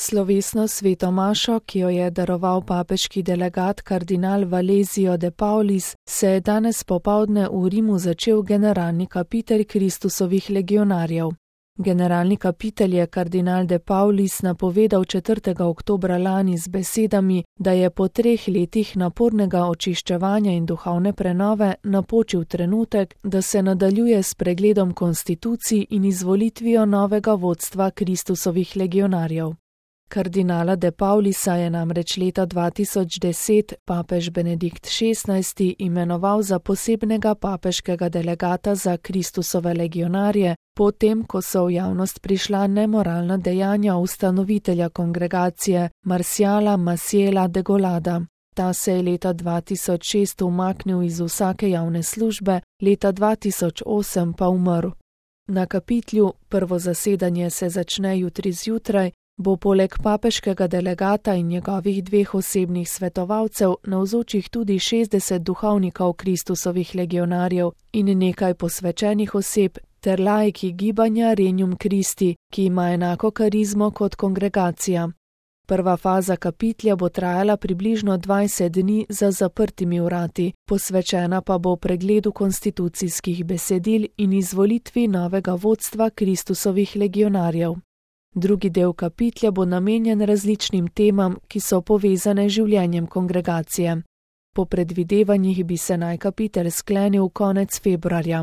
Slovesno sveto mašo, ki jo je daroval papeški delegat kardinal Valesio de Paulis, se je danes popoldne v Rimu začel generalni kapitelj Kristusovih legionarjev. Generalni kapitelj je kardinal de Paulis napovedal 4. oktobra lani z besedami, da je po 3 letih napornega očiščevanja in duhovne prenove napočil trenutek, da se nadaljuje s pregledom konstitucij in izvolitvijo novega vodstva Kristusovih legionarjev. Kardinala de Paulisa je namreč leta 2010 papež Benedikt XVI imenoval za posebnega papeškega delegata za Kristusove legionarje, potem ko so v javnost prišla nemoralna dejanja ustanovitelja kongregacije Marciala Maciela de Golada. Ta se je leta 2006 umaknil iz vsake javne službe, leta 2008 pa umrl. Na kapitlju, prvo zasedanje se začne jutri zjutraj, bo poleg papeškega delegata in njegovih 2 osebnih svetovalcev navzočih tudi 60 duhovnikov Kristusovih legionarjev in nekaj posvečenih oseb ter laiki gibanja Regnum Christi, ki ima enako karizmo kot kongregacija. Prva faza kapitlja bo trajala približno 20 dni za zaprtimi vrati, posvečena pa bo pregledu konstitucijskih besedil in izvolitvi novega vodstva Kristusovih legionarjev. Drugi del kapitlja bo namenjen različnim temam, ki so povezane z življenjem kongregacije. Po predvidevanjih bi se naj kapitelj sklenil konec februarja.